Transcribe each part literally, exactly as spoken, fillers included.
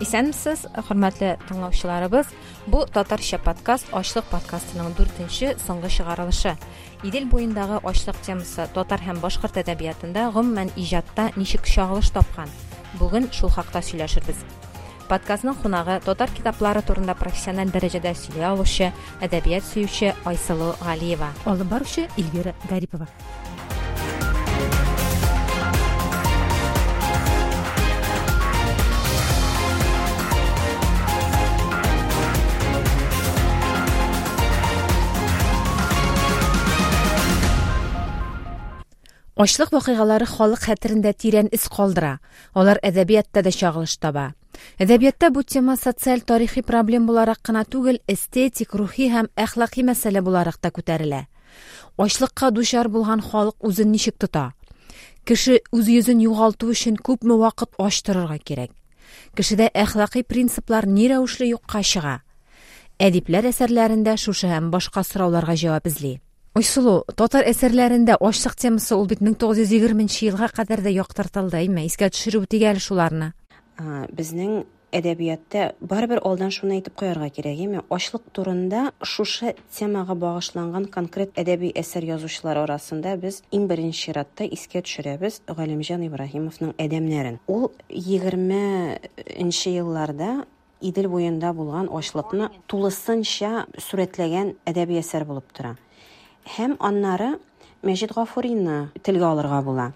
Исәнмесез, хөрмәтле тыңлаучыларыбыз. Бу татарча подкаст Ачлык подкастының дүртенче соңгы чыгарылышы. Идел буендагы ачлык темасы татар һәм башкорт әдәбиятында, гомумән иҗатта ничек чагылыш тапкан? Бүген шул хакта сөйләшербез. Подкастның кунагы татар китаплары турында профессиональ дәрәҗәдә сөйли алучы, әдәбият сөюче Айсылу Галиева. Алып баручы Эльвира Гарипова. Ачлык вакыйгалары халык хәтерендә тирән эз калдыра. Алар әдәбиятта да чагылыш таба. Әдәбиятта бу тема социаль тарихи проблем буларак кына түгел, эстетик, рухи һәм әхлаки мәсьәлә буларак та күтәрелә. Ачлыкка дучар булган халык үзен ничек тота? Кеше үз йөзен югалту өчен күпме вакыт ач торырга кирәк? Кешедә әхлаки принциплар ни рәвешле юкка чыга? Әдипләр әсәрләрендә шушы һәм башка сорауларга җавап эзли. Айсылу, татар әсәрләрендә ачлык темасы ул бит мең тугыз йөз егерменче елга кадәр дә яктыртылды, әйме? Искә төшереп үтик әле шуларны. Безнең әдәбиятта барыбер алдан шуны әйтеп куярга кирәк, әйме? Ачлык турында шушы темага багышланган конкрет әдәби әсәр язучылар арасында без иң беренче чиратта искә төшерәбез Галимҗан Ибраһимовның Әдәмнәрен. Ул егерменче елларда Идел буенда булган ачлыкны тулысынча сурәтләгән әдәби әсәр булып тора. Һәм аннары Мәҗит Гафурины телгә алырга була.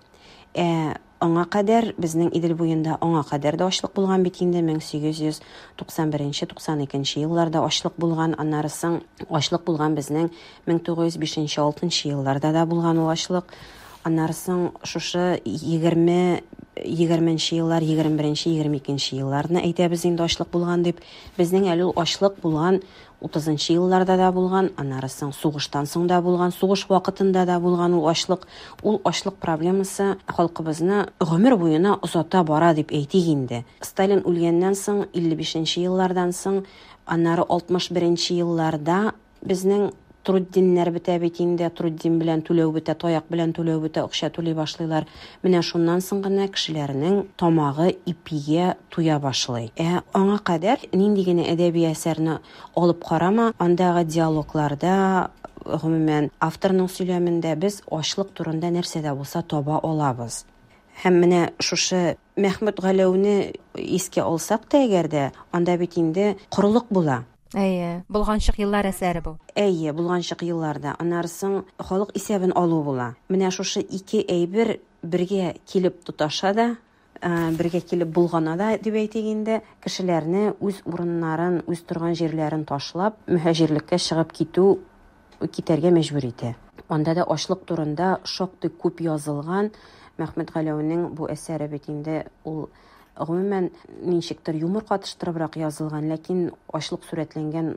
Ә аңа кадәр безнең Идел буенда аңа кадәр дә ачлык булган бит инде, мең сигез йөз туксан беренче, туксан икенче елларда ачлык булган, аннары соң ачлык булган безнең мең тугыз йөз бишенче, алтынчы елларда да булган ул ачлык. Аннары соң шушы егерме, егерменче еллар, егерме беренче, егерме икенче елларны әйтәбез инде ачлык булган дип. Безнең әле ул ачлык булган утызынчы елларда да булган, аннары соң сугыштан соң да булган, сугыш вакытында да булган ул ачлык. Ул ачлык проблемасы халкыбызны гомер буена озата бара дип әйтик инде. Сталин үлгәннән соң, илле бишенче еллардан соң, аннары алтмыш беренче елларда безнең труддиннәр бетә бит инде, труддин белән түләү бетә, таяк белән түләү бетә, акча түли башлыйлар. Менә шуннан соң гына кешеләрнең тамагы ипигә туя башлый. Ә аңа кадәр нинди генә әдәби әсәрне алып карама, андагы диалогларда, гомумән, авторның сөйләмендә без ачлык турында нәрсә дә булса таба алабыз. Һәм менә шушы Мәхмүт Галәүне искә алсак та әгәр дә, анда бит инде корылык була. Әйе, булганчык еллар әсәре бу. Әйе, булганчык елларда. Аннары соң халык исәбен алу була. Менә шушы ике әйбер бергә килеп тоташа да, бергә килеп булгана да дип әйтик инде, кешеләрне үз урыннарын, үз торган җирләрен ташлап, мөһаҗирлеккә чыгып китү, китәргә мәҗбүр итә. Анда да ачлык турында шактый күп язылган. Мәхмүт Галәүнең бу әсәре бит инде ул гомумән ничектер юмор катыштырыбрак язылган, ләкин ачлык сурәтләнгән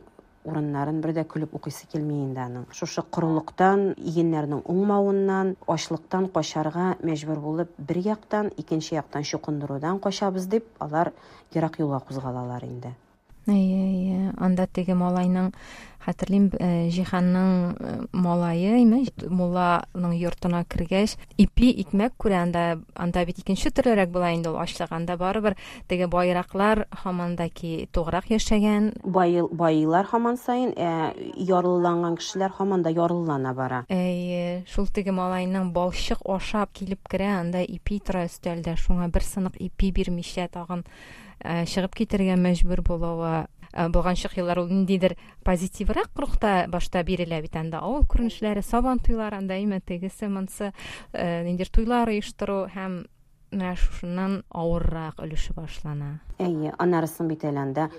урыннарын бер дә көлеп укыйсы килми инде аның. Шушы корылыктан, игеннәрнең уңмавыннан, ачлыктан качарга мәҗбүр булып, бер яктан, икенче яктан чукындырудан качабыз дип, алар ерак юлга кузгалалар инде. Әйе, әйе. Анда теге малайның, хәтерлим, э, Җиһанның, э, малае, әйме, мулланың йортына кергәч, ипи, икмәк күрә, анда, анда бит икенче төрлерәк була инде ул ачлык. Анда барыбер теге байраклар һаман да ки туграк яшәгән. Бай-, байлар һаман саен, ә ярлыланган кешеләр һаман да ярлылана бара. Әйе, шул теге малайның балчык ашап килеп керә, анда ипи тора өстәлдә, шуңа бер сынык ипи бирмичә тагын, э, чыгып китәргә мәҗбүр булуы. Э, булганчык еллар ул ниндидер позитиврак рухта башта бирелә бит анда. Авыл күренешләре, сабан туйлары анда, әйме, тегесе, монсы, э, ниндидер туйлар оештыру һәм менә шушыннан авыррак өлеше башлана. Әйе, аннарысын бит әле анда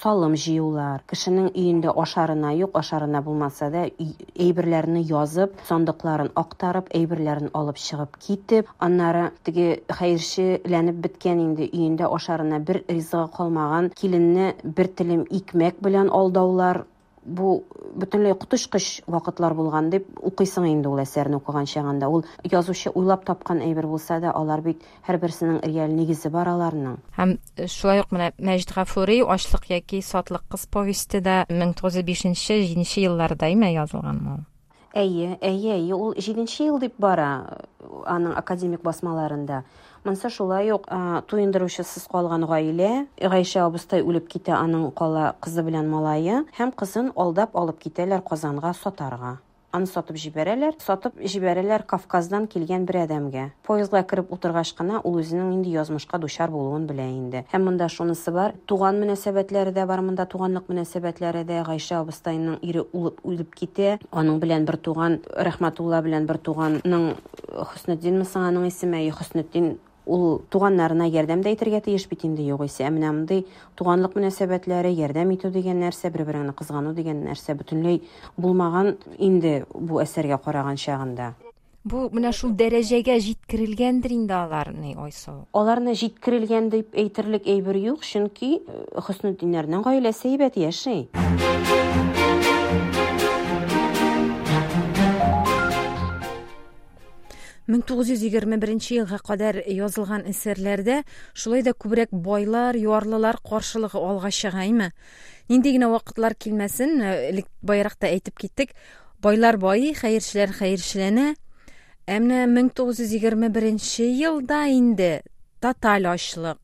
салым җыюлар, кешенең өендә ашарына юк, ашарына булмаса да, өй-, әйберләрне язып, сандыкларын актарып, әйберләрен алып чыгып китеп, аннары теге хәерчеләнеп беткән инде өендә ашарына бер ризыгы калмаган киленне бер телем икмәк белән алдаулар. Бу бөтенләй коточкыч вакытлар булган дип укыйсың инде ул әсәрне укыган чагында. Ул язучы уйлап тапкан әйбер булса да, алар бит һәрберсенең реаль нигезе бар аларның. Һәм шулай ук менә Мәҗит Гафури Ачлык яки Сатлык кыз повесте дә мең тугыз йөз бишенче, җиденче елларда име язылганмы ул? Әйе, әйе, әйе, ул җиденче ел дип бара. аның академик басмаларында. Монсы шулай ук туендыручысыз калган гаилә, Гайшә абыстай үлеп китә, аның кала кызы белән малае, һәм кызын алдап алып китәләр Казанга сатарга. Аны сатып җибәрәләр, сатып җибәрәләр Кавказдан килгән бер адәмгә. Поездга кереп утыргач кына ул үзенең инде язмышка дучар булуын белә инде. Һәм монда шунысы бар, туган мөнәсәбәтләре дә бар, монда туганлык мөнәсәбәтләре дә. Гайшә абыстайның ире үлеп үлеп китә, аның белән бер туган Рәхмәтулла белән бер туганның Хөснетдинме соң аның исеме, әйе, Хөснетдин, ул туганнарына ярдәм дә итәргә тиеш бит инде югыйсә. Ә менә мондый туганлык мөнәсәбәтләре, ярдәм итү дигән нәрсә, бер-береңне кызгану дигән нәрсә бөтенләй булмаган инде бу әсәргә караган чагында. Бу менә шул дәрәҗәгә җиткерелгәндер инде аларны, Айсылу. Аларны җиткерелгән дип әйтерлек әйбер юк, чөнки Хөснетдиннәрнең гаиләсе әйбәт яши. мең тугыз йөз егерме беренче елга кадәр язылган әсәрләрдә шулай да күбрәк байлар, ярлылар каршылыгы алга чыга, әйме? Нинди генә вакытлар килмәсен, элек баярак та әйтеп киттек, байлар байый, хәерчеләр хәерчеләнә. Ә менә мең тугыз йөз егерме беренче елда инде тоталь ачлык,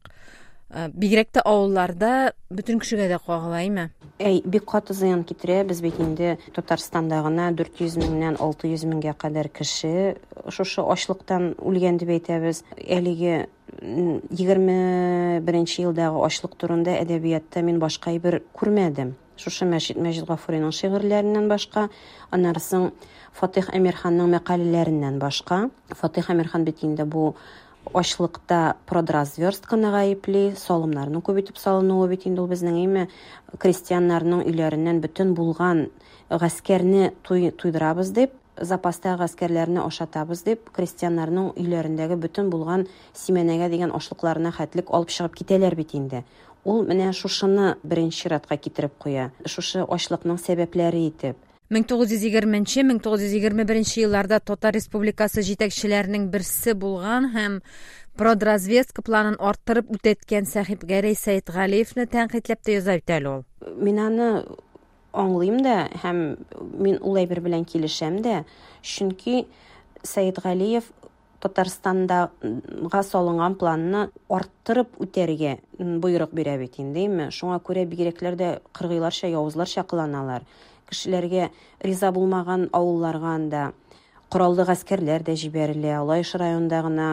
бигрәк тә авылларда бөтен кешегә дә кагыла, әйме? Әй, бик каты зыян китерә. Без бит инде Татарстанда гына дүрт йөз меңнән алты йөз меңгә кадәр кеше шушы ачлыктан үлгән дип әйтәбез. Әлеге егерме беренче елдагы ачлык турында әдәбиятта мин башка әйбер күрмәдем. Шушы Мәҗит Мәҗит Гафуриның шигырьләреннән башка, аннары соң Фатих Әмирханның мәкаләләреннән башка. Фатих Әмирхан бит инде бу ачлыкта продразверстканы гаепли, салымнарның күп итеп салынуы бит инде ул безнең, әйме, крестьяннарның өйләреннән бөтен булган гаскәрне туй, туйдырабыз дип, запастагы гаскәрләрне ашатабыз дип, крестьяннарның өйләрендәге бөтен булган симәнәгә дигән ашлыкларына хәтлек алып чыгып китәләр бит инде. Ул менә шушыны беренче чиратка китереп куя, шушы ачлыкның сәбәпләре итеп. мең тугыз йөз егерменче, мең тугыз йөз егерме беренче елларда Татар Республикасы җитәкчеләренең берсе булган һәм продразведка планын арттырып үтәткән Сәхибгәрәй Сәетгалиевне тәнкыйтьләп тә яза бит әле ул. Мин аны аңлыйм да һәм мин ул әйбер белән килешәм дә, чөнки Сәетгалиев Татарстандага салынган планны арттырып үтәргә боерык бирә бит инде, әйме? Шуңа күрә бигрәкләр дә кыргыйларча, явызларча кыланалар. Кешеләргә риза булмаган авылларга анда кораллы гаскәрләр дә җибәрелә, Лаеш районында гына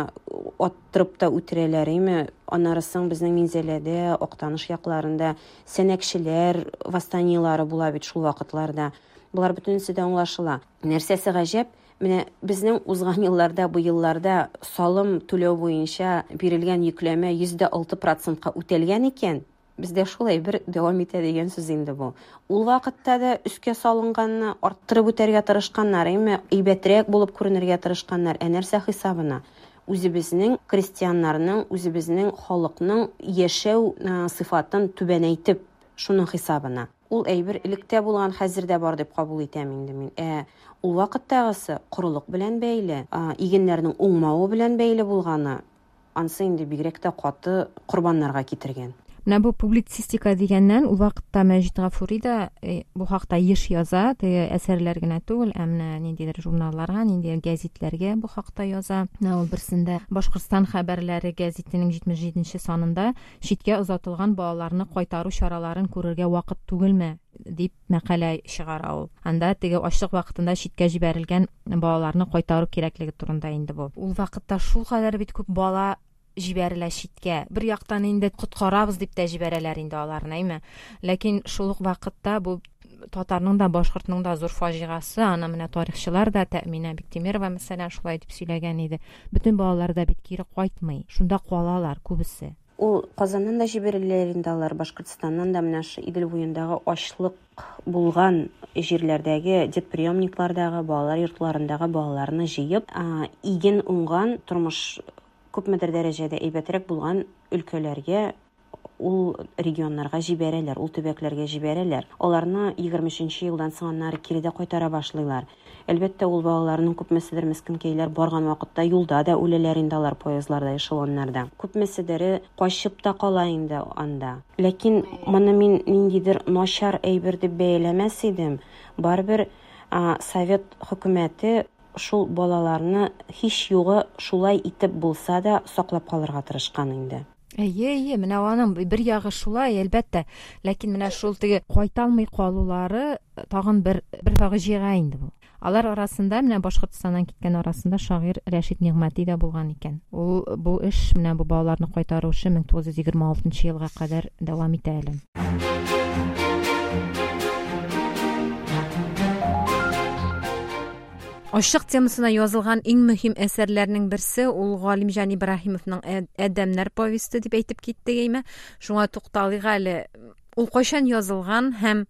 аттырып та үтерәләр, әйме? Аннары соң безнең Минзәләдә, Актаныш якларында сәнәкчеләр восстаниелары була бит шул вакытларда. Болар бөтенесе дә аңлашыла. Нәрсәсе гаҗәп, менә безнең узган елларда, бу елларда салым түләү буенча бирелгән йөкләмә йөз дә алты процентка үтәлгән икән. Бездә шулай бер дәвам итә дигән сүз инде бу. Ул вакытта да өскә салынганны арттырып үтәргә тырышканнар, әйме, әйбәтрәк булып күренергә тырышканнар. Ә нәрсә хисабына? Үзебезнең крестьяннарның, үзебезнең халыкның яшәү сыйфатын түбәнәйтеп, шуның хисабына. Ул әйбер электә булган, хәзер дә бар дип кабул итәм инде мин. Ә ул вакыттагысы корылык белән бәйле, игеннәрнең уңмавы белән бәйле булганы, ансы инде бигрәк тә каты корбаннарга китергән. Менә бу публицистика дигәннән, ул вакытта Мәҗит Гафури да бу хакта еш яза, теге әсәрләр генә түгел, ә менә ниндидер журналларга, ниндидер гәзитләргә бу хакта яза. Менә ул берсендә Башкортстан хәбәрләре гәзитенең җитмеш җиденче санында читкә озатылган балаларны кайтару чараларын күрергә вакыт түгелме дип мәкалә чыгара ул. Анда теге ачлык вакытында читкә җибәрелгән балаларны кайтару кирәклеге турында инде бу. Ул вакытта шул кадәр бит күп бала җибәрелә читкә. Бер яктан инде коткарабыз дип тә җибәрәләр инде аларны, әйме? Ләкин шул ук вакытта бу татарның да, башкортның да зур фаҗигасы, аны менә тарихчылар да, Тәэминә Биктимирова мәсәлән шулай дип сөйләгән иде. Бөтен балалар да бит кире кайтмый, шунда калалар күбесе. Ул Казаннан да җибәреләләр инде алар, Башкортстаннан да менә шу Идел буендагы ачлык булган җирләрдәге детприемниклардагы, балалар йортларындагы балаларны җыеп, иген уңган тормыш күпмедер дәрәҗәдә әйбәтрәк булган өлкәләргә, ул регионнарга җибәрәләр, ул төбәкләргә җибәрәләр. Аларны егерме өченче елдан соң аннары кире дә кайтара башлыйлар. Әлбәттә, ул балаларның күпмеседер мескенкәйләр барган вакытта юлда да үләләр инде алар, поездларда, эшелоннарда. Күпмеседере качып та кала инде анда. Ләкин моны мин ниндидер начар әйбер дип бәяләмәс идем. Барыбер совет хөкүмәте шул балаларны һич югы шулай итеп булса да саклап калырга тырышкан инде. Әйе, әйе, менә аның бер ягы шулай, әлбәттә. Ләкин менә шул теге кайта алмый калулары тагын бер бер фаҗига инде бу. Алар арасында менә Башкортстаннан киткән арасында шагыйрь Рәшит Нигъмәти дә булган икән. Ул бу эш менә бу балаларны кайтару эше мең тугыз йөз егерме алтынчы елга кадәр дәвам итә әле. Ачлык темасына язылган иң мөһим әсәрләрнең берсе ул Галимҗан Ибраһимовның Әдәмнәр повесте дип әйтеп китте гәйме. Шуңа тукталыйк әле. Ул кайчан язылган һәм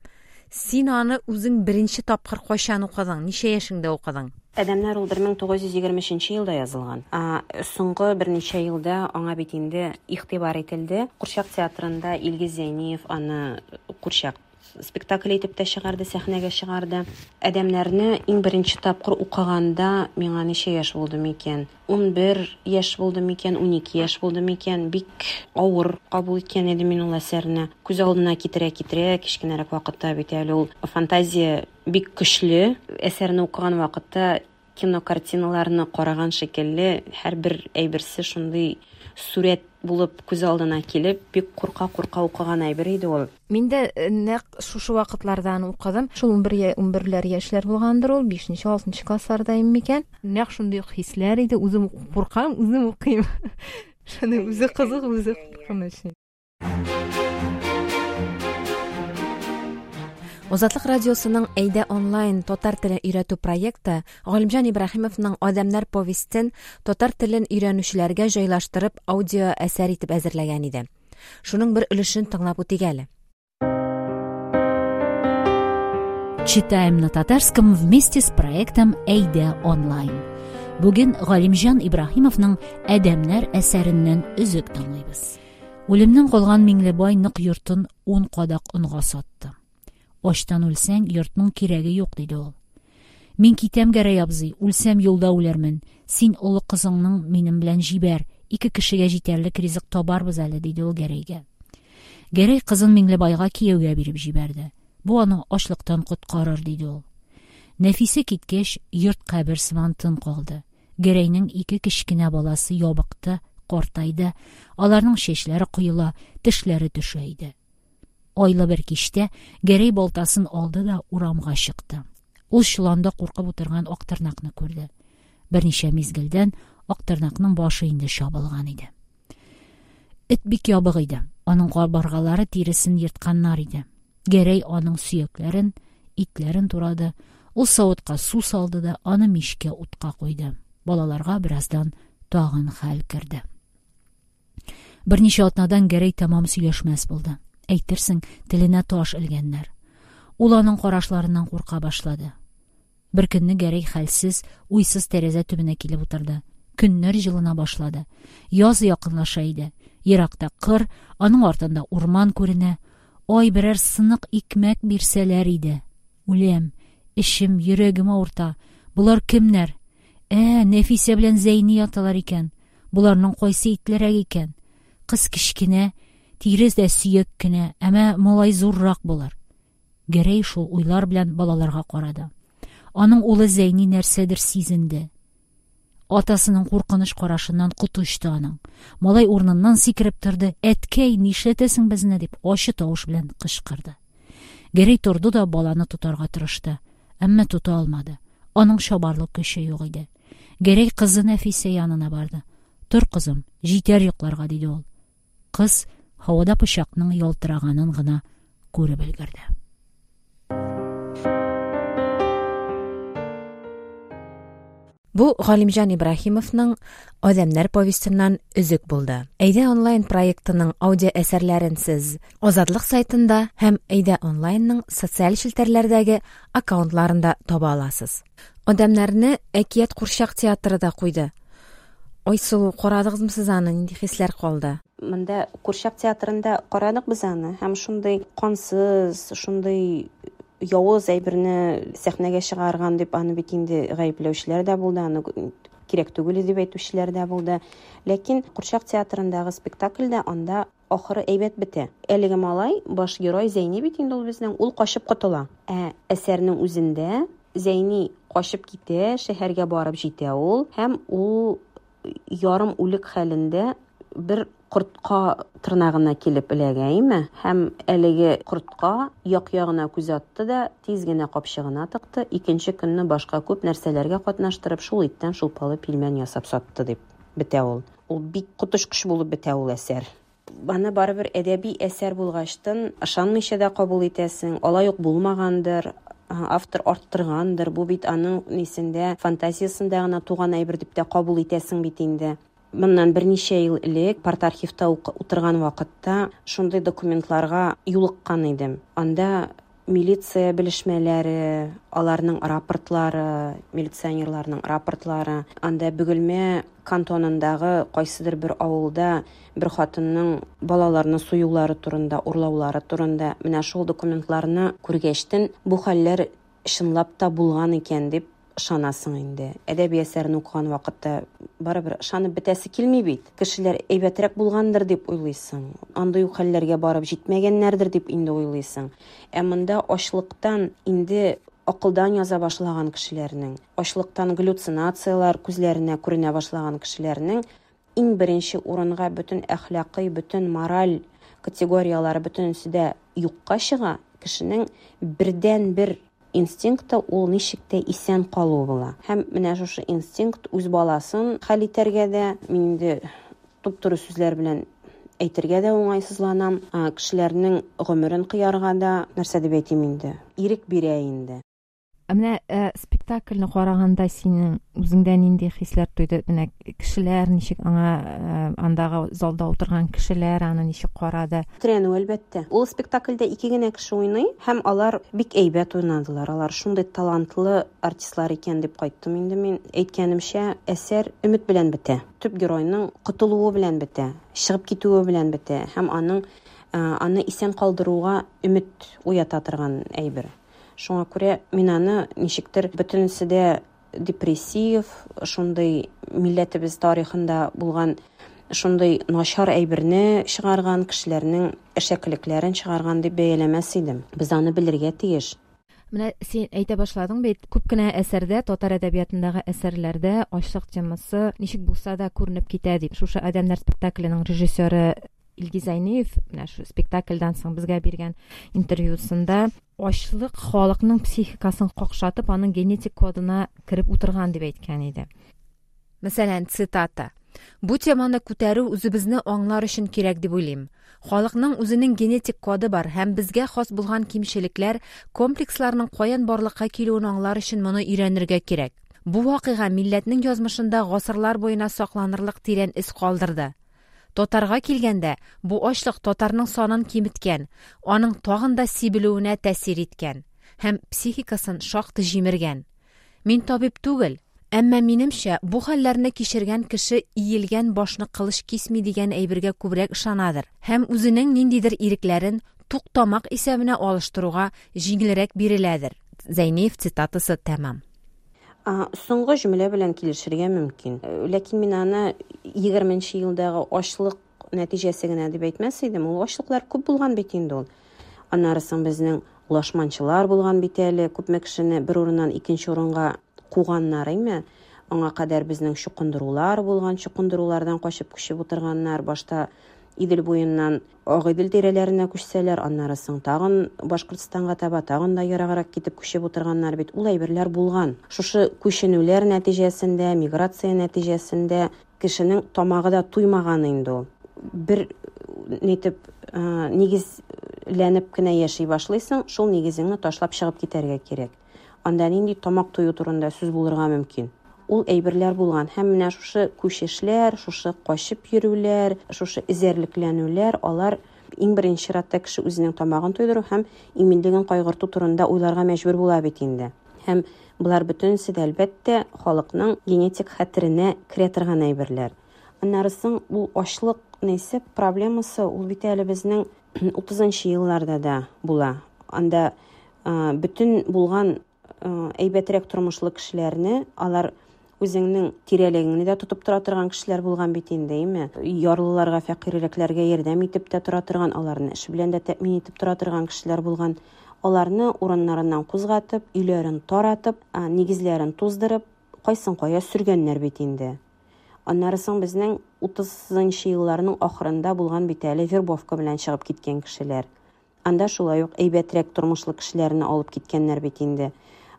син аны үзең беренче тапкыр кайчан укыдың? Ничә яшеңдә укыдың? Әдәмнәр ул бер мең тугыз йөз егерме өченче елда язылган. А, соңгы берничә елда аңа бит инде игътибар ителде. Курчак театрында Илгиз Зәйниев аны курчак спектакль итеп тә чыгарды, сәхнәгә чыгарды. Әдәмнәрне иң беренче тапкыр укыганда миңа ничә яшь булды микән? Ун бер яшь булды микән, ун ике яшь булды микән? Бик авыр кабул иткән идем мин ул әсәрне. Күз алдына китерә-китерә, кечкенәрәк вакытта бит әле ул фантазия бик көчле. Әсәрне укыган вакытта кинокартиналарны караган шикелле һәрбер әйберсе шундый сурәт булып күз алдына килеп, бик курка-курка укыган әйбер иде ул. Мин дә нәкъ шушы вакытлардан укыдым. Шул ун бер, ун берләр яшьләр булгандыр ул, бишенче, алтынчы классларда микән. Нәкъ шундый ук хисләр иде. Үзем куркам, үзем укыйм. Шуны үзе кызык, үзе куркыныч. Азатлык радиосының Әйдә онлайн татар телен өйрәтү проекты Галимҗан Ибраһимовның Адәмнәр повестен татар телен өйрәнүчеләргә җайлаштырып аудио әсәр итеп әзерләгән иде. Шуның бер өлешен тыңлап үтик әле. Читаем на татарском вместе с проектом Әйдә онлайн. Бүген Галимҗан Ибраһимовның Адәмнәр әсәреннән өзек тыңлыйбыз. Үлемнән калган Миңлебай нык йортын ун кадак онга сатты. Ачтан үлсәң, йортның кирәге юк, диде ул. Мин китәм, Гәрәй абзый, үлсәм юлда үләрмен. Син олы кызыңның минем белән җибәр, ике кешегә җитәрлек ризык табарбыз әле, диде ул Гәрәйгә. Гәрәй кызын Миңлебайга кияүгә биреп җибәрде. Бу аны ачлыктан коткарыр, диде ул. Нәфисе киткәч, йорт кабер сыман тын калды. Гәрәйнең ике кечкенә баласы ябыкты, картайды. Аларның чәчләре коела, тешләре төшә иде. Айлы бер кичтә Гәрәй балтасын алды да урамга чыкты. Ул чоланда куркып утырган Актырнакны күрде. Берничә мизгелдән Актырнакның башы инде чабылган иде. Эт бик ябык иде. Аның кабыргалары тиресен ертканнар иде. Гәрәй аның сөякләрен, итләрен турады. Ул савытка су салды да аны мичкә утка куйды. Балаларга бераздан тагын хәл керде. Берничә атнадан Гәрәй тәмам сөйләшмәс булды. Әйтерсең, теленә таш элгәннәр. Ул аның карашларыннан курка башлады. Бер көнне Гәрәй хәлсез, уйсыз тәрәзә төбенә килеп утырды. Көннәр җылына башлады. Яз якынлаша иде. Еракта кыр, аның артында урман күренә. Ай, берәр сынык икмәк бирсәләр иде. Үләм, эшем, йөрәгем авырта. Болар кемнәр? Ә, Нәфисә белән Зәйни яталар икән. Боларның кайсы итлерәк икән? Кыз кечкенә, тирес дә сөяк кенә, әмма малай зуррак булыр. Гәрәй шул уйлар белән балаларга карады. Аның улы Зәйни нәрсәдер сизенде. Атасының куркыныч карашыннан коты очты аның. Малай урыныннан сикереп торды. Әткәй, нишләтәсең безне, дип ачы тавыш белән кычкырды. Гәрәй торды да баланы тотарга тырышты, әмма тота алмады. Аның чабарлык көче юк иде. Гәрәй кызы Нәфисә янына барды. Тор, кызым, җитәр йокларга, диде ул. Кыз һавада пычакның ялтыраганын гына күреп өлгерде. Бу Галимҗан Ибраһимовның Адәмнәр повестеннан өзек булды. Әйдә онлайн проектының аудио әсәрләрен сез Азатлык сайтында һәм Әйдә онлайнның социаль челтәрләрдәге аккаунтларында таба аласыз. Адәмнәрне Әкият курчак театры да куйды. Айсылу, карадыгызмы сез аны? Нинди хисләр калды? Монда курчак театрында карадык без аны һәм шундый кансыз, шундый явыз әйберне сәхнәгә чыгарган дип аны бит инде гаепләүчеләр дә булды, аны кирәк түгел дип әйтүчеләр дә булды. Ләкин курчак театрындагы спектакльдә анда ахыры әйбәт бетә. Әлеге малай, баш герой Зәйни бит инде ул безнең, ул качып котыла. Ә әсәрнең үзендә Зәйни качып китә, шәһәргә барып җитә ул, һәм ул ярым үлек хәлендә бер кортка тырнагына килеп эләгә, име? Һәм әлеге кортка як-ягына күз атты да, тиз генә капчыгына тыкты, икенче көнне башка күп нәрсәләргә катнаштырып, шул иттән шулпалы пилмән ясап сатты дип бетә ул. Ул бик коточкыч булып бетә ул әсәр. Аны барыбер әдәби әсәр булгачтын ышанмыйча да кабул итәсең, алай ук булмагандыр, автор арттыргандыр, бу бит аның нисендә, фантазиясендә гына туган әйбер дип тә кабул итәсең бит инде. Моннан берничә ел элек парт-архивта утырган вакытта шундый документларга юлыккан идем. Анда милиция белешмәләре, аларның рапортлары, милиционерларның рапортлары, анда Бөгелмә кантонындагы кайсыдыр бер авылда бер хатынның балаларны суюлары турында, урлаулары турында, менә шул документларны күргәчтен бу хәлләр чынлап та булган икән дип ышанасың инде. Әдәби әсәрне укыган вакытта барыбер ышанып бетәсе килми бит. Кешеләр әйбәтрәк булгандыр дип уйлыйсың. Андый ук хәлләргә барып җитмәгәннәрдер дип инде уйлыйсың. Ә монда ачлыктан инде акылдан яза башлаган кешеләрнең, ачлыктан галлюцинацияләр күзләренә күренә башлаган кешеләрнең иң беренче урынга бөтен әхлакый, бөтен мораль категорияләре бөтенесе дә юкка чыга. Кешенең бердән-бер инстинкты ул ничек тә исән калу була. Һәм менә шушы инстинкт үз баласын хәл итәргә дә, мин инде туп-туры сүзләр белән әйтергә дә уңайсызланам, кешеләрнең гомерен кыярга да, нәрсә дип әйтим инде, ирек бирә инде. Ә менә спектакльне караганда синең үзеңдә нинди хисләр туйды? Менә кешеләр ничек аңа, андагы залда утырган кешеләр аны ничек карады? Тетрәнү, әлбәттә. Ул спектакльдә ике генә кеше уйный һәм алар бик әйбәт уйнадылар. Алар шундый талантлы артистлар икән дип кайттым инде мин. Әйткәнемчә, әсәр өмет белән бетә. Төп геройның котылуы белән бетә, чыгып китүе белән бетә һәм аның аны исән калдыруга өмет уята торган әйбер. Шуңа күрә мин аны ничектер бөтенесе дә депрессив, шундый милләтебез тарихында булган шундый начар әйберне чыгарган, кешеләрнең әшәкелекләрен чыгарган дип бәяләмәс идем. Без аны белергә тиеш. Менә син әйтә башладың бит, күп кенә әсәрдә, татар әдәбиятындагы әсәрләрдә ачлык темасы ничек булса да күренеп китә дип. Шушы Адәмнәр спектакленең режиссеры Илгиз Зәйниев менә шу спектакльдән соң безгә биргән интервьюсында ачлык халыкның психикасын какшатып, аның генетик кодына кереп утырган дип әйткән иде. Мәсәлән, цитата: Бу теманы күтәрү үзебезне аңлар өчен кирәк дип уйлыйм. Халыкның үзенең генетик коды бар һәм безгә хас булган кимчелекләр, комплексларның каян барлыкка килүен аңлар өчен моны өйрәнергә кирәк. Бу вакыйга милләтнең язмышында гасырлар буена сакланырлык тирән эз калдырды. Татарга килгәндә, бу ачлык татарның санын киметкән, аның тагын да сибелүенә тәэсир иткән һәм психикасын шактый җимергән. Мин табиб түгел, әмма минемчә, бу хәлләрне кичергән кеше иелгән башны кылыч кисми дигән әйбергә күбрәк ышанадыр һәм үзенең ниндидер ирекләрен тук тамак исәбенә алыштыруга җиңелрәк биреләдер. Зәйниев цитатасы тәмам. Соңгы җөмлә белән килешергә мөмкин. Ләкин мин аны егерменче елдагы ачлык нәтиҗәсе генә дип әйтмәс идем. Ул ачлыклар күп булган бит инде ул. Аннары соң безнең лашманчылар булган бит әле, күпме кешене бер урыннан икенче урынга куганнар, әйме? Аңа кадәр безнең чукындырулар булган, чукындырулардан качып күчеп утырганнар. Башта Идел буеннан Агыйдел тирәләренә күчсәләр, аннары соң тагын Башкортстанга таба, тагын да ераграк китеп күчеп утырганнар бит. Ул әйберләр булган. Шушы күченүләр нәтиҗәсендә, миграция нәтиҗәсендә кешенең тамагы да туймаган инде ул. Бер нитеп нигезләнеп кенә яши башлыйсың, шул нигезеңне ташлап чыгып китәргә кирәк. Анда нинди тамак тую турында сүз булырга мөмкин. Ул әйберләр булган һәм менә шушы күчешләр, шушы качып йөрүләр, шушы эзәрлекләнүләр, алар иң беренче чиратта кеше үзенең тамагын туйдыру һәм иминлеген кайгырту турында уйларга мәҗбүр була бит инде. Һәм болар бөтенесе дә әлбәттә халыкның генетик хәтеренә керә торган әйберләр. Аннары соң ул ачлык нәрсә проблемасы ул бит әле безнең утызынчы елларда да була. Анда бөтен булган әйбәтрәк тормышлы кешеләрне алар үзеңнең тирәлегеңне дә тотып тора торган кешеләр булган бит инде, әйме? Ярлыларга, фәкыйрьрәкләргә ярдәм итеп тә тора торган, аларны эш белән дә тәэмин итеп тора торган кешеләр булган. Аларны урыннарыннан кузгатып, өйләрен таратып, нигезләрен туздырып, кайсын кая сөргәннәр бит инде. Аннары соң безнең утызынчы елларның ахырында булган бит әле вербовка белән чыгып киткән кешеләр. Анда шулай ук әйбәтрәк тормышлы кешеләрне алып киткәннәр бит инде.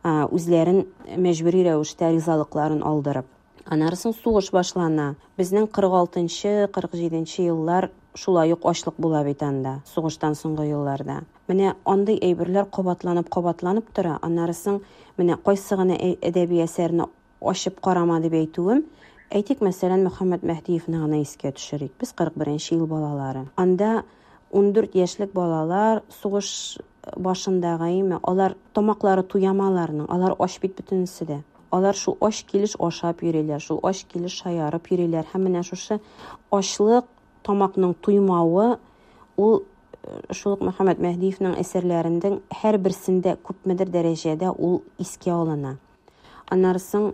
Үзләрен мәҗбүри рәвештә ризалыкларын алдырып. Аннары соң сугыш башлана. Безнең кырык алтынчы, кырык җиденче еллар шулай ук ачлык була бит анда, сугыштан соңгы елларда. Менә андый әйберләр кабатланып, кабатланып тора. Аннары соң менә кайсы гына әдәби әсәрне ачып карама дип әйтүем, әйтик, мәсәлән, Мөхәммәт Мәһдиевне гына искә төшерик. Без кырык беренче ел балалары. Анда ундүрт яшьлек балалар сугыш башындагы, әйме, алар тамаклары туямаларның, алар ач бит бөтенесе дә. Алар шул ач килеш ашап йөриләр, шул ач килеш шаярып йөриләр. Һәм менә шушы ачлык, тамакның туймавы, ул шул ук Мөхәммәт Мәһдиевнең әсәрләренең һәрберсендә күпмедер дәрәҗәдә ул искә алына. Аннары соң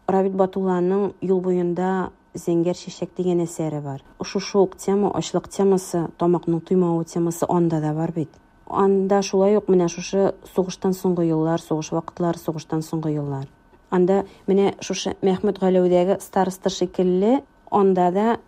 Рабит Батулланың Юл буенда зәңгәр чәчәк дигән әсәре бар. Шушы ук тема, ачлык темасы, тамакның туймавы темасы анда да бар бит. Анда шулай ук менә шушы сугыштан соңгы еллар, сугыш вакытлары, сугыштан соңгы еллар. Анда менә шушы Мәхмүт Галәүдәге староста шикелле, анда да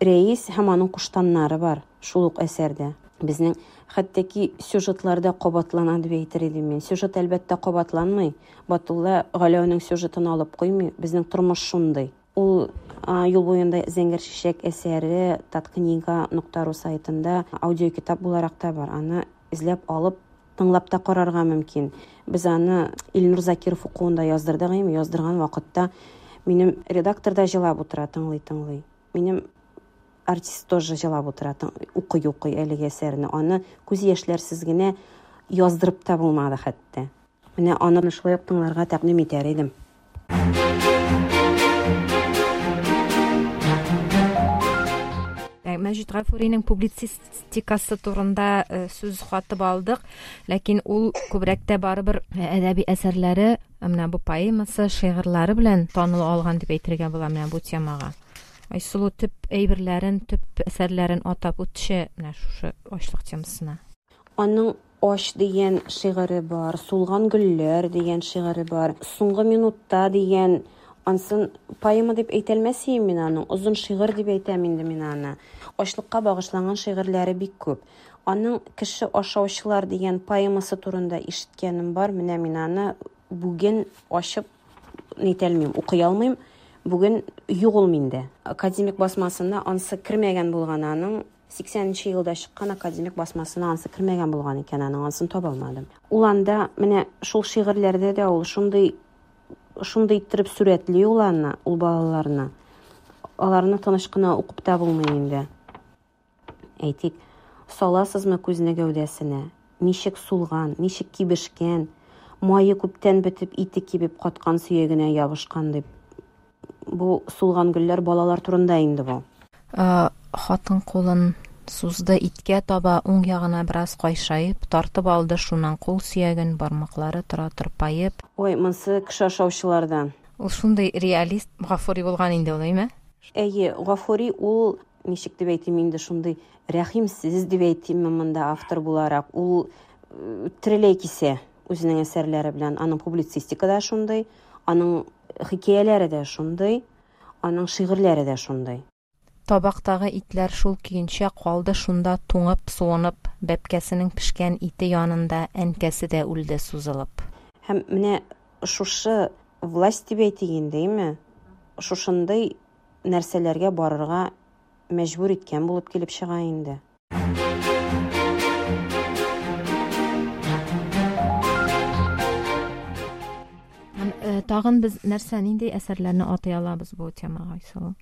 рәис һәм аның куштаннары бар шул ук әсәрдә. Безнең хәтта ки сюжетларда кабатлана дип әйтер идем мин. Сюжет әлбәттә кабатланмый. Батулла Галәүнең сюжетын алып куймый. Безнең тормыш шундый. Ул Юл буенда зәңгәр чәчәк әсәре таткнига нокта ру сайтында аудиокитап буларак та бар. Аны эзләп алып тыңлап та карарга мөмкин. Без аны Илнур Закиров укуында яздырдык, әйме, яздырган вакытта минем редактор да җылап утыра, тыңлый-тыңлый. Минем артист тоже җылап утыра, укый-укый әлеге әсәрне. Аны күз яшьләрсез генә яздырып та булмады хәтта. Менә аны шулай ук тыңларга тәкъдим итәр идем. Мәҗит Гафуриның публицистикасы турында сүз хатып алдык, ләкин ул күбрәк тә барыбер әдәби әсәрләре, менә бу поэмасы, шигырьләре белән таныла алган дип әйтергә була менә бу темага. Айсылу төп әйберләрен, төп әсәрләрен атап үтче менә шушы ачлык темасына. Аның Ач дигән шигыре бар, Сулган гөлләр дигән шигыре бар, Соңгы минутта дигән, ансын поэма дип әйтәлмәс идем мин аның, озын шигырь дип әйтәм инде мин аны. Ачлыкка багышланган шигырьләре бик күп. Аның Кеше ашаучылар дигән поэмасы турында ишеткәнем бар. Менә мин аны бүген ачып нитәлмим, укый алмыйм. Бүген юк ул миндә. Академик басмасына ансы кермәгән булган аның. Сиксәненче елда чыккан академик басмасына ансы кермәгән булган икән, аның ансын таба алмадым. Ул анда менә шул шигырьләрдә дә ул шундый шундый иттереп сурәтли ул аны, ул балаларны. Аларны тыныч кына укып та булмый инде. Әйтик, саласызмы күзне гәүдәсенә? Ничек сулган, ничек кибешкән, мае күптән бетеп, ите кибеп каткан сөягенә ябышкан дип. Бу сулган гөлләр балалар турында инде бу. Хатын кулын сузды иткә таба, уң ягына бераз кайшаеп, тартып алды шуннан кул сөяген, бармаклары тора тырпаеп. Ой, монсы кеше ашаучылардан. Ул шундый реалист Гафури булган инде ул, әйме? Әйе, Гафури ул, ничек дип әйтим инде, шундый рәхимсез дип әйтимме монда автор буларак. Ул тереләй кисә үзенең әсәрләре белән. Аның публицистика да шундый, аның хикәяләре дә шундый, аның шигырьләре дә шундый. Табактагы итләр шул көенчә калды шунда туңып, суынып, бәпкәсенең пешкән ите янында әнкәсе дә үлде сузылып. Һәм менә шушы власть дип әйтик инде, әйме? Шушындый нәрсәләргә барырга мәҗбүр иткән булып килеп чыга инде. Тагын без нәрсә, нинди әсәрләрне атый алабыз бу темага, Айсылу?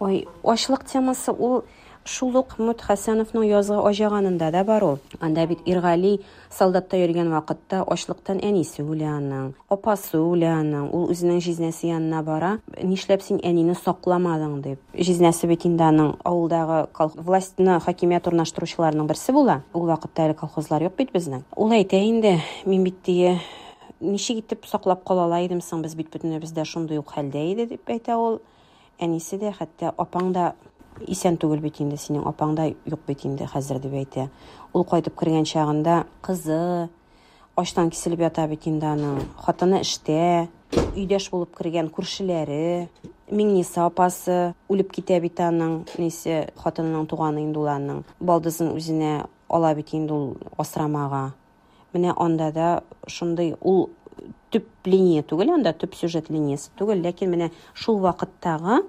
Ой, ачлык темасы ул шул ук Мөт Хәсәновның Язгы аҗаганында да бар ул. Анда бит Иргали солдатта йөргән вакытта ачлыктан әнисе үлә аның, апасы үлә аның. Ул үзенең җизнәсе янына бара. Нишләп син әнине сакламадың дип. Җизнәсе бит инде аның авылдагы властьны, хакимият урнаштыручыларның берсе була. Ул вакытта әле колхозлар юк бит безнең. Ул әйтә инде, мин бит дие, ничек итеп саклап кала ала идем соң, без бит бөтенебез дә шундый ук хәлдә иде дип әйтә ул. Әнисе дә, хәтта апаң да исән түгел бит инде, синең апаң да юк бит инде хәзер дип әйтә. Ул кайтып кергән чагында кызы, ачтан киселеп ята бит инде аның. Хатыны эштә, өйдәш булып кергән күршеләре, Миңниса апасы үлеп китә бит аның, нисе хатынының туганы инде ул аның. Балдызын үзенә ала бит инде ул асрамага. Менә анда да шундый ул төп линия түгел, анда төп сюжет линиясе түгел, ләкин менә шул вакыттагы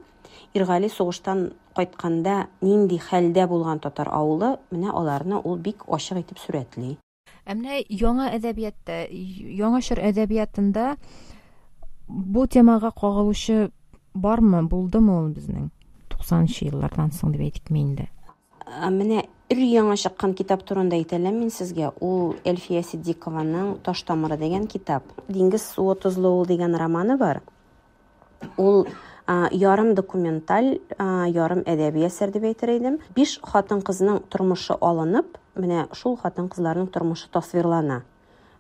Иргали сугыштан кайтканда нинди хәлдә булган татар авылы, менә аларны ул бик ачык итеп сурәтли. Ә менә яңа әдәбиятта, яңа чор әдәбиятында бу темага кагылучы бармы, булдымы ул безнең туксанынчы еллардан соң дип әйтикме инде? Менә өр яңа чыккан китап турында әйтәләм мин сезгә. Ул Әлфия Сиддикованың Таш тамыры дигән китап. Диңгез суы тозлы ул дигән романы бар. Ул ярым документаль, ярым әдәби әсәр дип әйтер идем. Биш хатын-кызның тормышы алынып, менә шул хатын-кызларның тормышы тасвирлана.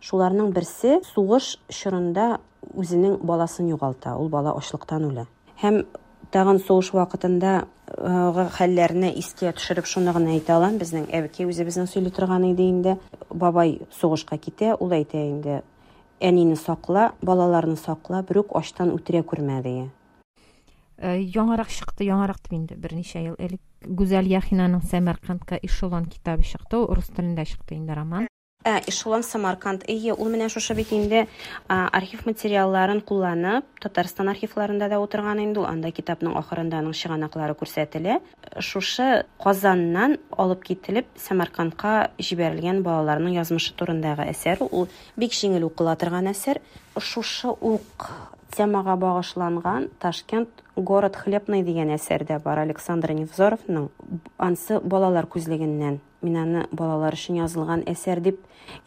Шуларның берсе сугыш чорында үзенең баласын югалта, ул бала ачлыктан үлә. Һәм тагын сугыш вакытында хәлләрне искә төшереп шуны гына әйтә алам, безнең әбекәй үзебезнең сөйли торган иде инде. Бабай сугышка китә, ул әйтә инде: әнине сакла, балаларны сакла, берүк ачтан үтерә күрмә, ди. Яңарак чыкты, яңарак дип инде берничә ел элек Гүзәл Яхинаның Сәмәркандка эшелон китабы чыкты, ул рус телендә чыкты инде роман. Ә, эшелон Самарканд, әйе, ул менә шушы бит инде архив материалларын кулланып, Татарстан архивларында да утырган инде ул, анда китапның ахырында аның чыганаклары күрсәтелә. Шушы Казаннан алып кителеп Сәмәркандка җибәрелгән балаларның язмышы турындагы әсәр, ул бик җиңел укыла торган әсәр. Шушы ук темага багышланган Ташкент город хлебный дигән әсәр дә бар Александр Невзоровның. Ансы балалар күзлегеннән. Мин аны балалар өчен язылган әсәр дип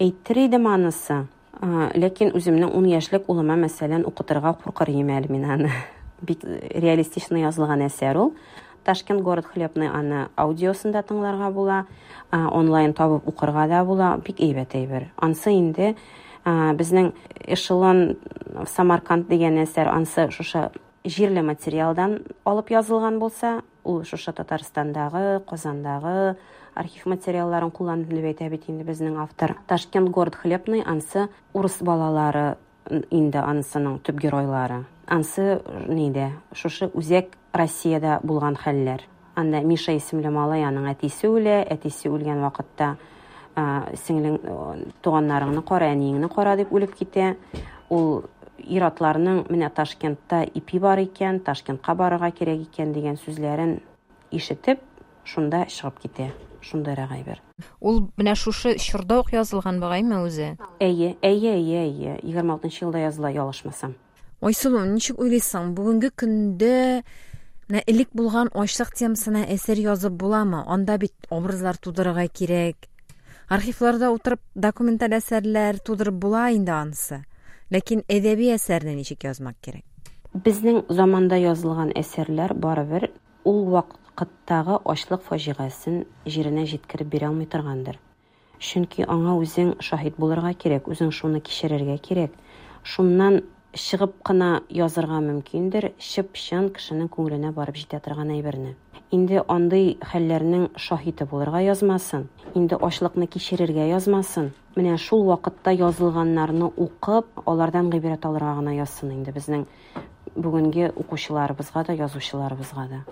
әйтер идем анысы. Ләкин үземнең ун яшьлек улыма, мәсәлән, укытырга куркыр идем әле мин аны. Бик реалистично язылган әсәр ул. Ташкент город хлебный аны аудиосында тыңларга була, онлайн табып укырга да була, бик әйбәт әйбер. Ансы инде безнең эшелон Самарканд дигән әсәр, ансы шушы җирле материалдан алып язылган булса, ул шушы Татарстандагы, Казандагы архив материалларын кулланып дип әйтә бит инде безнең автор. Ташкент город хлебный ансы урыс балалары инде анысының төп геройлары. Ансы нидә? Шушы үзәк Россиядә булган хәлләр. Анда Миша исемле малай, аның әтисе үлә, әтисе үлгән вакытта сеңлең, туганнарыңны кара, әниеңне кара дип үлеп китә. Ул ир-атларның менә Ташкентта ипи бар икән, Ташкентка барырга кирәк икән дигән сүзләрен ишетеп, шунда чыгып китә. Шундыйрак әйбер. Ул менә шушы чорда ук язылган бугаймы үзе? Әйе, әйе, әйе, әйе. Егерме алтынчы елда языла, ялгышмасам. Айсылу, ничек уйлыйсың, бүгенге көндә менә элек булган ачлык темасына әсәр язып буламы? Анда бит образлар тудырырга кирәк. Архивларда утырып документаль әсәрләр тудырып була инде анысы. Ләкин әдәби әсәрне ничек язмак кирәк? Безнең заманда язылган әсәрләр барыбер ул вакыттагы ачлык фаҗигасын җиренә җиткереп бирә алмый торгандыр. Чөнки аңа үзең шаһит булырга кирәк, үзең шуны кичерергә кирәк. Шуннан чыгып кына язырга мөмкиндер, чып-чын кешенең күңеленә барып җитә торган әйберне. Инде андый хәлләрнең шаһиты булырга язмасын, инде ачлыкны кичерергә язмасын. Менә шул вакытта язылганнарны укып, алардан гыйбрәт алырга гына язсын инде безнең бүгенге укучыларыбызга да, язучыларыбызга да.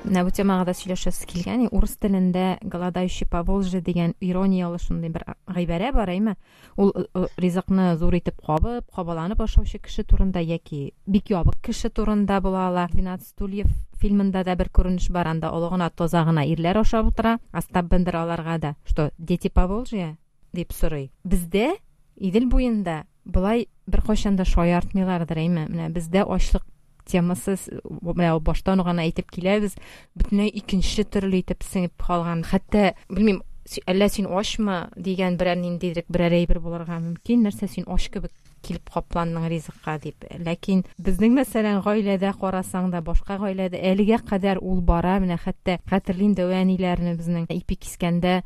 Менә бу темага да сөйләшәсе килгән. Урыс телендә «Голодающий по Волжье» дигән ирониялы шундый бер гыйбарә бар, әйме? Ул ризыкны зур итеп кабып, кабаланып ашаучы кеше турында яки бик ябык кеше турында була ала. «Двенадцать стульев» фильмында да бер күренеш бар, анда олы гына, таза гына ирләр ашап утыра. Остап Бендер аларга да, что «Дети по Волжье?» дип сорый. Бездә Идел буенда болай беркайчан да шаяртмыйлардыр, әйме? Менә бездә ачлык темасы, менә баштан ук әйтеп киләбез, бөтенләй икенче төрле итеп сеңеп калган. Хәтта, белмим, әллә син ачмы дигән берәр ниндидер берәр әйбер булырга мөмкин, нәрсә син ач кебек килеп капландың ризыкка дип. Ләкин безнең, мәсәлән, гаиләдә карасаң да, башка гаиләдә әлегә кадәр ул бара. Менә хәтта хәтерлим дәү әниләрне безнең ипи кискәндә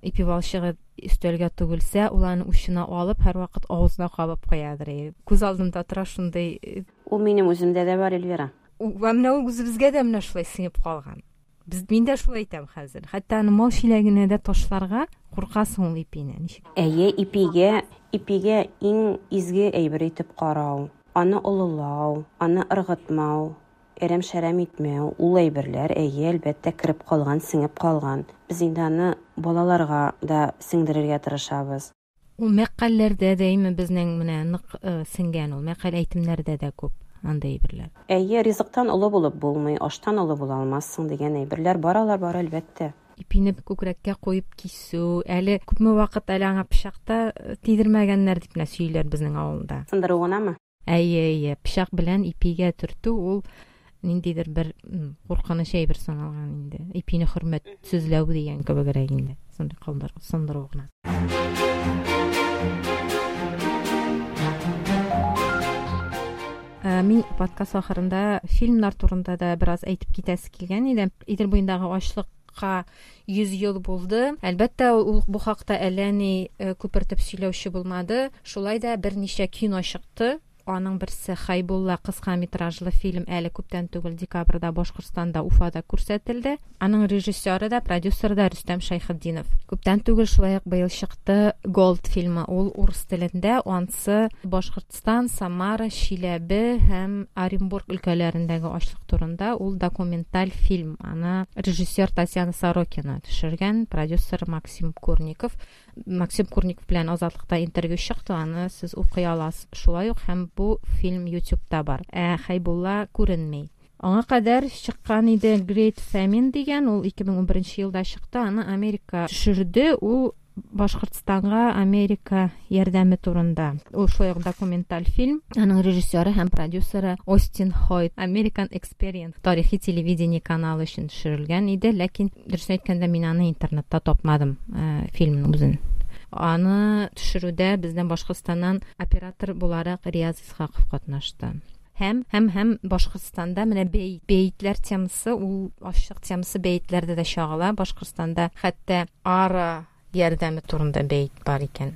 ипи балчыгы өстәлгә түгелсә, ул аны учына алып, һәрвакыт авызына кабып куядыр. Күз алдымда тора шундый. Ул минем үземдә дә бар, Эльвира. Менә ул үзебезгә дә менә шулай сеңеп калган. Без мин дә шулай әйтәм хәзер. Хәтта аны мал чиләгенә дә ташларга куркасың ул ипине. Ничек? Әйе, ипигә, ипигә иң изге әйбер итеп карау, аны олылау, аны ыргытмау, әрәм-шәрәм итмәү, ул әйберләр, әйе, әлбәттә, кереп калган, сеңеп калган. Без инде аны балаларга да сеңдерергә тырышабыз. Ул мәкальләрдә дә әйме безнең менә нык сеңгән ул, мәкаль әйтемнәрдә дә күп андай әйберләр. Әйе, ризыктан олы булып булмый, аштан олы була алмассың дигән әйберләр бар, алар бар, әлбәттә. Ипине күкрәккә куеп кисү, әле күпме вакыт әле аңа пычак та тидермәгәннәр дип менә сөйлиләр безнең авылда. Сындыру гынамы? Әйе, әйе, пычак белән ипигә төртү ул ниндидер бер куркыныч әйбер саналган инде. Ипине хөрмәтсезләү дигән кебегрәк инде. Шундый калдыр, сындыру гына. Мин подкаст ахырында фильмнар турында да бераз әйтеп китәсе килгән иде. Идел буендагы ачлыкка йөз ел булды. Әлбәттә, ул бу хакта әллә ни күпертеп сөйләүче булмады. Шулай да берничә кино чыкты. Аның берсе Хайбулла кыска метражлы фильм әле күптән түгел декабрьдә Башкортстанда, Уфада күрсәтелде. Аның режиссеры да, продюсеры да Рөстәм Шәйхетдинов. Күптән түгел шулай ук быел чыкты Gold фильмы. Ул урыс телендә, ансы Башкортстан, Самара, Чиләбе һәм Оренбург өлкәләрендәге ачлык турында. Ул документаль фильм. Аны режиссер Татьяна Сорокина төшергән, продюсер Максим Курников. Максим Курников белән Азатлыкта интервью чыкты, аны сез укый аласыз. Шулай ук һәм бу фильм YouTube'та бар. Ә Хайбулла күренми. Аңа кадәр чыккан иде Great Famine дигән, ул ике мең унберенче елда чыкты, аны Америка төшерде, ул Башкортстанга Америка ярдәме турында. Ул шулай ук документаль фильм. Аның режиссеры һәм продюсеры Остин Хойт. American Experience тарихи телевидение каналы өчен төшерелгән иде, ләкин дөресен әйткәндә мин аны интернетта тапмадым, фильмның үзен. Аны төшерүдә бездән Башкортстаннан оператор буларак Рияз Исхаков катнашты. Һәм, һәм, һәм Башкортстанда менә бәйт, бәйтләр темасы, ул ачлык темасы бәйтләрдә дә чагыла. Башкортстанда хәтта ара ярдәме турында бәйт бар икән.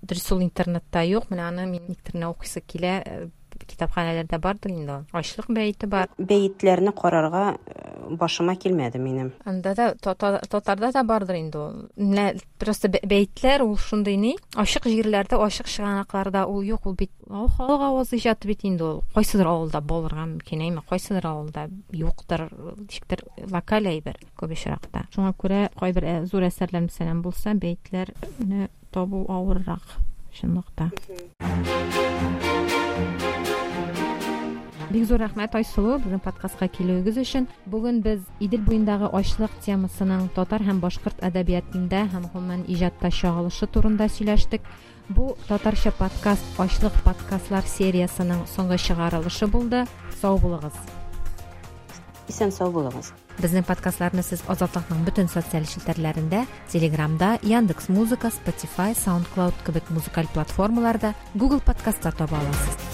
Дөрес, ул интернетта юк, менә аны мин никтер менә укыйсы килә, китапханәләрдә бардыр инде ул. Ачлык бәете бар. Бәетләрне карарга башыма килмәде минем. Анда да татарда да бардыр инде ул. Менә просто бәетләр ул шундый ни? Ачык җирләрдә, ачык чыганакларда ул юк, ул бит ул халык авыз иҗаты бит инде ул. Кайсыдыр авылда булырга мөмкин, әйме, кайсыдыр авылда юктыр, ничектер локаль әйбер күп очракта. Шуңа күрә кайбер зур әсәрләр мәсәлән булса, бәетләрне табу авыррак чынлыкта. Бик зур рәхмәт, Айсылу, безнең подкастка килүегез өчен. Бүген без Идел буендагы ачлык темасының татар һәм башкорт әдәбиятында һәм гомумән иҗатта чагылышы турында сөйләштек. Бу татарча подкаст ачлык подкастлар сериясының соңгы чыгарылышы булды. Сау булыгыз. Исән сау булыгыз. Безнең подкастларны сез Азатлыкның бөтен социаль челтәрләрендә, Телеграмда, Яндекс Музыка, Spotify, SoundCloud кебек музыкаль платформаларда, Google подкастта таба аласыз.